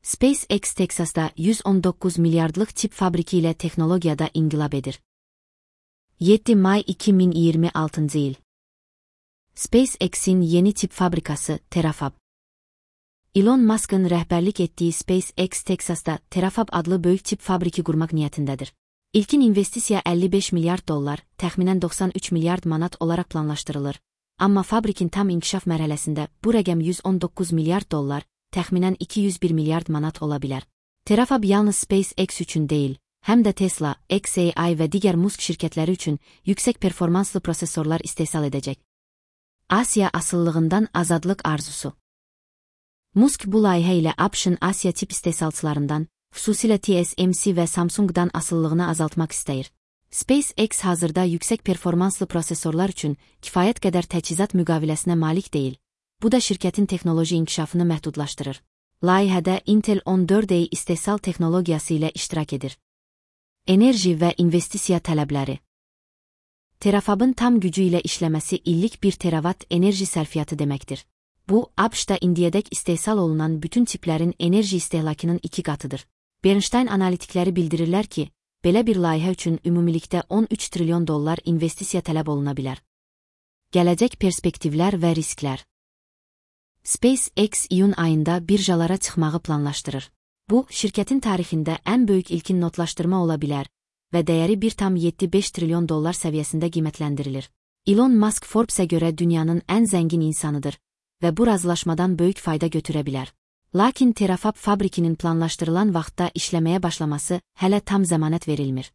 SpaceX Texasda 119 milyardlıq çip fabriki ilə texnologiyada inqilab edir. 7 may 2026 il. SpaceX'in yeni çip fabrikası Terafab. Elon Musk'ın rəhbərlik etdiyi SpaceX Texasda Terafab adlı böyük çip fabriki qurmaq niyyətindədir. İlkin investisiya 55 milyard dollar, təxminən 93 milyard manat olaraq planlaşdırılır. Amma fabrikin tam inkişaf mərhələsində bu rəqəm 119 milyard dollar, təxminən 201 milyard manat ola bilər. Terafab yalnız SpaceX üçün deyil, həm də Tesla, xAI və digər Musk şirkətləri üçün yüksək performanslı prosesorlar istehsal edəcək. Asiya asıllığından azadlıq arzusu. Musk bu layihə ilə ABŞ-ın Asiya çip istehsalçılarından, xüsusilə TSMC və Samsung'dan asıllığını azaltmaq istəyir. SpaceX hazırda yüksək performanslı prosesorlar üçün kifayət qədər təchizat müqaviləsinə malik deyil. Bu da şirkətin texnoloji inkişafını məhdudlaşdırır. Layihədə Intel 14A istehsal texnologiyası ilə iştirak edir. Enerji və investisiya tələbləri. Terafabın tam gücü ilə işləməsi illik 1 terawatt enerji sərfiyyatı deməkdir. Bu, ABŞ-da indiyədək istehsal olunan bütün çiplərin enerji istehlakının 2 qatıdır. Bernstein analitikləri bildirirlər ki, belə bir layihə üçün ümumilikdə 13 trilyon dollar investisiya tələb oluna bilər. Gələcək perspektivlər və risklər. SpaceX iyun ayında birjalara çıxmağı planlaşdırır. Bu, şirkətin tarixində ən böyük ilkin notlaşdırma ola bilər və dəyəri 1,75 trilyon dollar səviyyəsində qiymətləndirilir. Elon Musk Forbes-ə görə dünyanın ən zəngin insanıdır və bu razılaşmadan böyük fayda götürə bilər. Lakin Terafab fabrikinin planlaşdırılan vaxtda işləməyə başlaması hələ tam zəmanət verilmir.